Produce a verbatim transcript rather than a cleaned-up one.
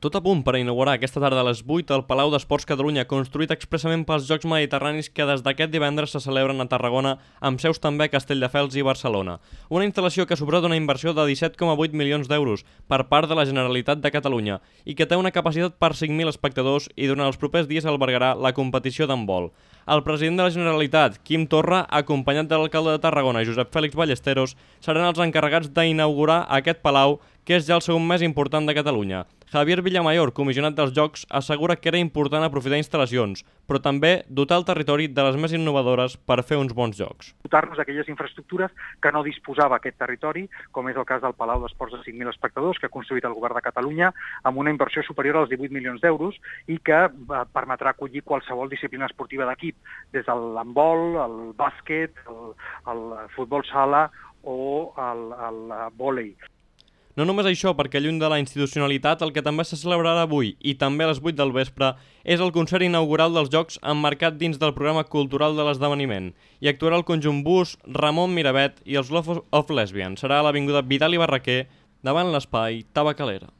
Tot a punt per inaugurar aquesta tarda a les vuit el Palau d'Esports Catalunya, construït expressament pels Jocs Mediterranis que des d'aquest divendres se celebren a Tarragona, amb seus també a Castelldefels i Barcelona. Una instal·lació que ha suposat una inversió de disset coma vuit milions d'euros per part de la Generalitat de Catalunya i que té una capacitat per cinc mil espectadors i durant els propers dies albergarà la competició d'handbol. El president de la Generalitat, Quim Torra, acompanyat de l'alcalde de Tarragona, Josep Fèlix Ballesteros, seran els encarregats d'inaugurar aquest palau, que és ja el segon més important de Catalunya. Javier Villamayor, comissionat dels Jocs, assegura que era important aprofitar instal·lacions, però també dotar el territori de les més innovadores per fer uns bons jocs. Dotar-nos d'aquelles infraestructures que no disposava aquest territori, com és el cas del Palau d'Esports de cinc mil espectadors que ha construït el Govern de Catalunya amb una inversió superior als divuit milions d'euros i que permetrà acollir qualsevol disciplina esportiva d'equip, des de l'handbol, el bàsquet, el, el futbol sala o el, el vòlei. No només això, perquè lluny de la institucionalitat, el que també se celebrarà avui i també a les vuit del vespre és el concert inaugural dels Jocs emmarcat dins del programa cultural de l'esdeveniment. Hi actuarà el conjunt Bus, Ramon Miravet i els Love of Lesbian. Serà a l'avinguda Vidal i Barraquer, davant l'espai Tabacalera.